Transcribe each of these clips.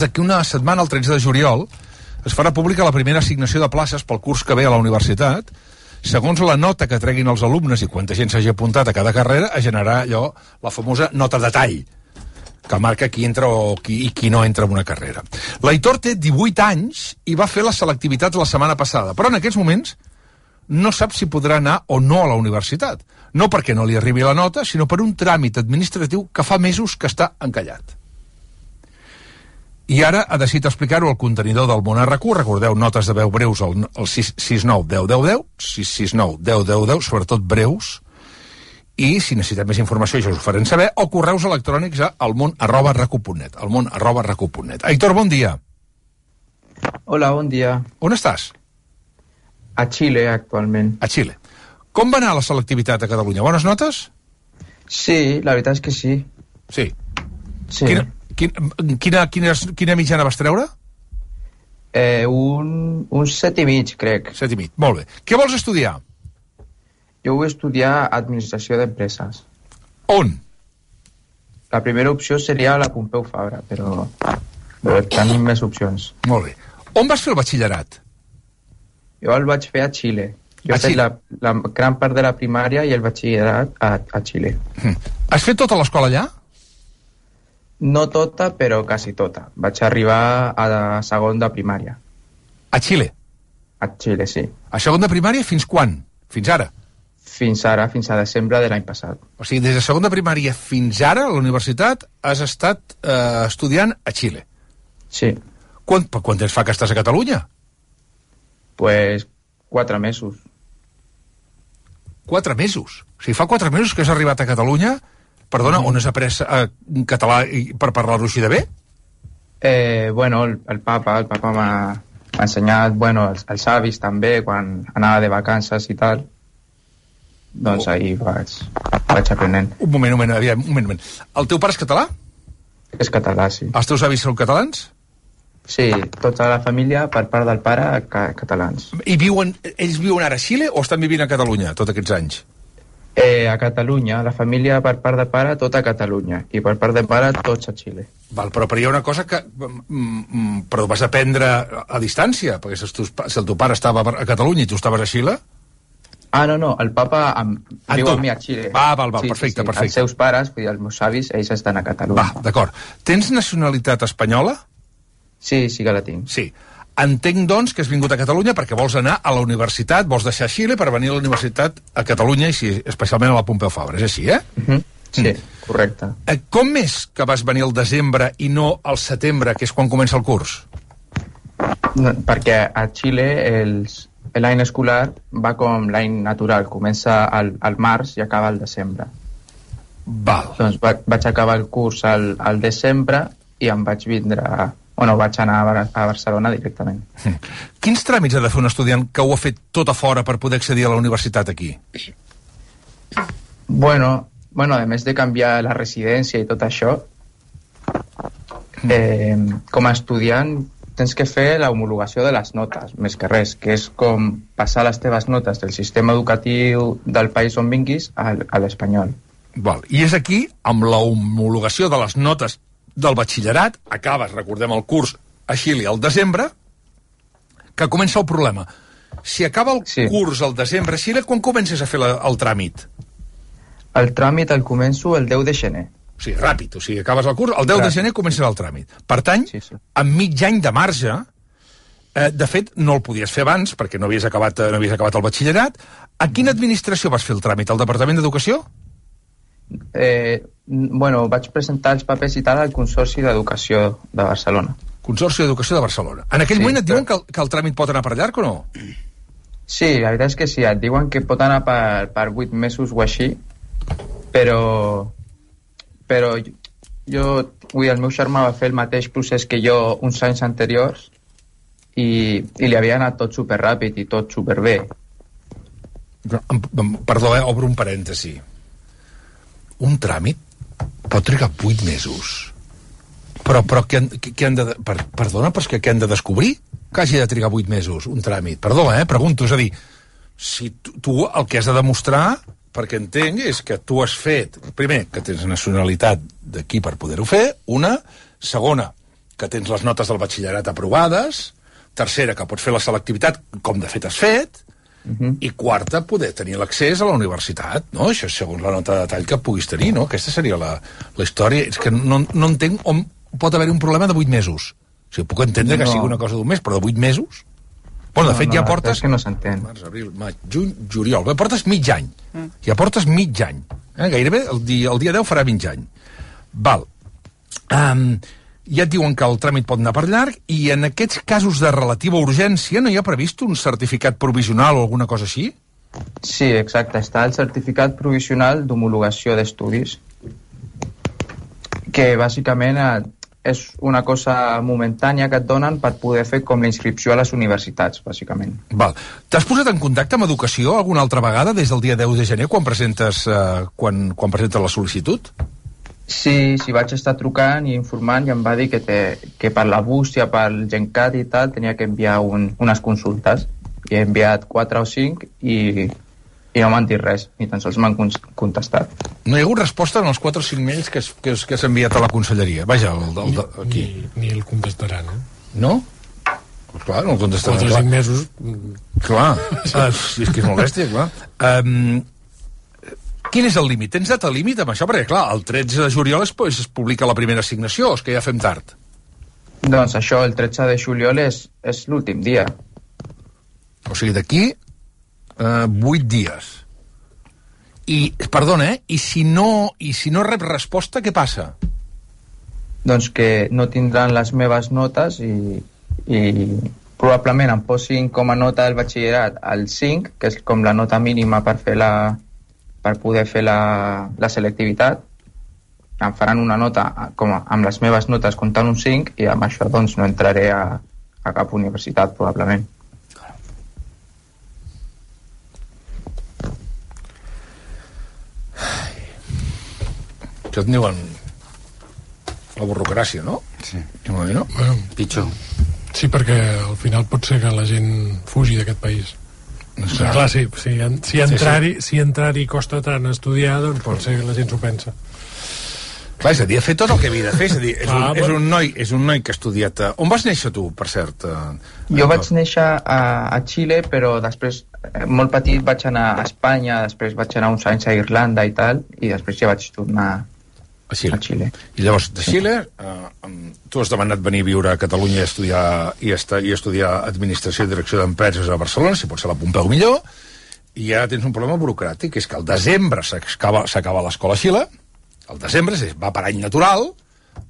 D'aquí una setmana, el 13 de juliol, es farà pública la primera assignació de places pel curs que ve a la universitat. Segons la nota que treguin els alumnes i quanta gent s'hagi apuntat a cada carrera, es generarà allò, la famosa nota de tall, que marca qui entra o qui no entra en una carrera. L'Aitor té 18 anys i va fer la selectivitat la setmana passada, però en aquests moments no sap si podrà anar o no a la universitat. No perquè no li arribi la nota, sinó per un tràmit administratiu que fa mesos que està encallat. I ara ha decidit explicar-ho al contenidor del Món RQ. Recordeu, notes de veu breus al 669 10 10 10, 669 10 10 10, sobretot breus. I si necessitem més informació, ja us ho farem saber, o correus electrònics a almon@recu.net, almon@recu.net. Aitor, bon dia. Hola, bon dia. On estàs? A Xile, actualment. A Xile. Com va anar la selectivitat a Catalunya? Bones notes? Sí, la veritat és que sí. Sí. Sí. Quina mitjana vas treure? Un 7,5, crec. 7,5, molt bé. Què vols estudiar? Jo vull estudiar Administració d'Empreses. On? La primera opció seria la Pompeu Fabra, però tenim més opcions. Molt bé. On vas fer el batxillerat? Jo el vaig fer a Xile. Jo he fet la gran part de la primària i el batxillerat a Xile. Has fet tota l'escola allà? No tota, però quasi tota. Vaig arribar a segon de primària. A Xile? A Xile, sí. A segon de primària fins quan? Fins ara? Fins ara, fins a desembre de l'any passat. O sigui, des de segon de primària fins ara, a la universitat, has estat estudiant a Xile. Sí. Quant temps fa que estàs a Catalunya? Pues 4 mesos. 4 mesos? O sigui, fa 4 mesos que has arribat a Catalunya. Perdona, on has après català per parlar-ho així de bé? Bueno, el papa m'ha ensenyat, bueno, els avis també, quan anava de vacances i tal. Doncs ahir vaig aprenent. Un moment. El teu pare és català? És català, sí. Els teus avis són catalans? Sí, tota la família, per part del pare, catalans. I ells viuen ara a Xile o estan vivint a Catalunya tots aquests anys? A Catalunya, la família per part de pare, tota a Catalunya, i per part de pare, tots a Xile. Val, però hi ha una cosa que però vas aprendre a distància, perquè si el teu pare estava a Catalunya i tu estaves a Xile... Ah, no, el papa viu amb mi a Xile. Val, perfecte. Els seus pares, vull dir, els meus avis, ells estan a Catalunya. Va, d'acord. Tens nacionalitat espanyola? Sí que la tinc. Sí. Entenc, doncs, que has vingut a Catalunya perquè vols anar a la universitat, vols deixar Xile per venir a la universitat a Catalunya i especialment a la Pompeu Fabra, és així, Sí, correcte. Com és que vas venir al desembre i no al setembre, que és quan comença el curs? Perquè a Xile l'any escolar va com l'any natural, comença al març i acaba al desembre. Val. Doncs vaig acabar el curs al desembre i em vaig vindre... Bueno, vaig anar a Barcelona directament. Quins tràmits ha de fer un estudiant que ho ha fet tot a fora per poder accedir a la universitat aquí? Bueno, a més de canviar la residència i tot això, com a estudiant tens que fer l'homologació de les notes, més que res, que és com passar les teves notes del sistema educatiu del país on vinguis a l'espanyol. I és aquí, amb la homologació de les notes del batxillerat, acabes, recordem el curs a Xile al desembre, que comença el problema. Si acaba el curs al desembre a Xile, quan comences a fer el tràmit? El tràmit el començo el 10 de gener. O sigui, ràpid, o sigui, acabes el curs, el 10 de gener comences el tràmit. Per tant, amb mig any de marge, de fet, no el podies fer abans, perquè no havies acabat el batxillerat. A quina administració vas fer el tràmit? Al Departament d'Educació? Bueno, vaig presentar els papers i tal al Consorci d'Educació de Barcelona. Consorci d'Educació de Barcelona. En aquell moment et diuen que el tràmit pot anar per llarg o no? Sí, la veritat és que sí, et diuen que pot anar per 8 mesos o així, però el meu germà va fer el mateix procés que jo uns anys anteriors i li havia anat tot superràpid i tot superbé. Perdó, obro un parèntesi. Un tràmit pot trigar 8 mesos. Però què han de... Perdona, però és que què han de descobrir? Que hagi de trigar 8 mesos, un tràmit. Perdó, pregunto. És a dir, si tu el que has de demostrar, perquè entenc, és que tu has fet... Primer, que tens nacionalitat d'aquí per poder-ho fer. Una. Segona, que tens les notes del batxillerat aprovades, tercera, que pots fer la selectivitat, com de fet has fet, i quarta, poder tenir l'accés a la universitat, no? Això és segons la nota de detall que puguis tenir, no? Aquesta seria la història. És que no entenc on pot haver un problema de 8 mesos. O sigui, puc entendre que sigui una cosa d'un mes, però de 8 mesos? Bueno, de fet, ja portes... És que no s'entén. Març, abril, maig, juny, juliol. Bé, portes mig any. Ja portes mig any. Gairebé el dia 10 farà mig any. Val. Ja et diuen que el tràmit pot anar per llarg i en aquests casos de relativa urgència no hi ha previst un certificat provisional o alguna cosa així? Sí, exacte. Està el certificat provisional d'homologació d'estudis, que bàsicament és una cosa momentània que et donen per poder fer com la inscripció a les universitats, bàsicament. Val. T'has posat en contacte amb Educació alguna altra vegada des del dia 10 de gener quan presentes la sol·licitud? Sí, vaig estar trucant i informant i em va dir que per la bústia, pel GenCat i tal, tenia que enviar unes consultes. I he enviat 4 o 5 i no m'han dit res, ni tan sols m'han contestat. No hi ha hagut resposta en els 4 o 5 mails que s'ha enviat a la conselleria? Vaja, aquí. Ni el contestaran, No? Pues clar, no el contestaran. 4 o 5 mesos... Clar, és que és molt bèstia, clar. Quin és el límit? Tens data límit amb això? Perquè, clar, el 13 de juliol es publica la primera assignació, és que ja fem tard. Doncs això, el 13 de juliol és l'últim dia. O sigui, d'aquí 8 dies. I, perdona, i si no rep resposta, què passa? Doncs que no tindran les meves notes i probablement em posin com a nota del batxillerat el 5, que és com la nota mínima per poder fer la selectivitat. Em faran una nota amb les meves notes comptant un 5 i amb això doncs no entraré a cap universitat probablement. Això en diuen la burocràcia, no? Sí. Bueno, pitjor. Sí, perquè al final pot ser que la gent fugi d'aquest país. Clar, si entrar-hi costa tant estudiar, doncs pot ser que la gent s'ho pensa. Clar, és a dir, ha fet tot el que havia de fer. És a dir, és un noi que ha estudiat... On vas néixer tu, per cert? Jo vaig néixer a Xile, però després, molt petit, vaig anar a Espanya, després vaig anar uns anys a Irlanda i tal, i després ja vaig tornar a Xile. I llavors, de Xile, tu has demanat venir a viure a Catalunya i estudiar Administració i Direcció d'Empreses a Barcelona, si pot ser la Pompeu millor, i ja tens un problema burocràtic, que és que al desembre s'acaba l'escola a Xile, al desembre va per any natural,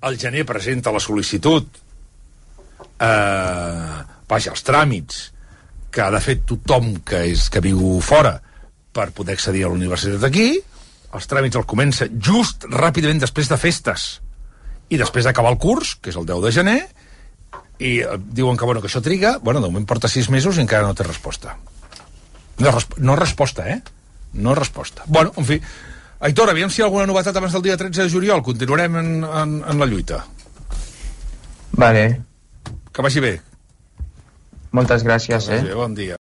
al gener presenta la sol·licitud, els tràmits que ha de fer tothom que viu fora per poder accedir a la universitat aquí. Els tràmits el comença just ràpidament després de festes i després d'acabar el curs, que és el 10 de gener, i diuen que això triga, de moment porta 6 mesos i encara no té resposta. No resposta, No resposta. En fi, Aitor, aviam si hi ha alguna novetat abans del dia 13 de juliol. Continuarem en la lluita. Vale. Que vagi bé. Moltes gràcies, Bon dia.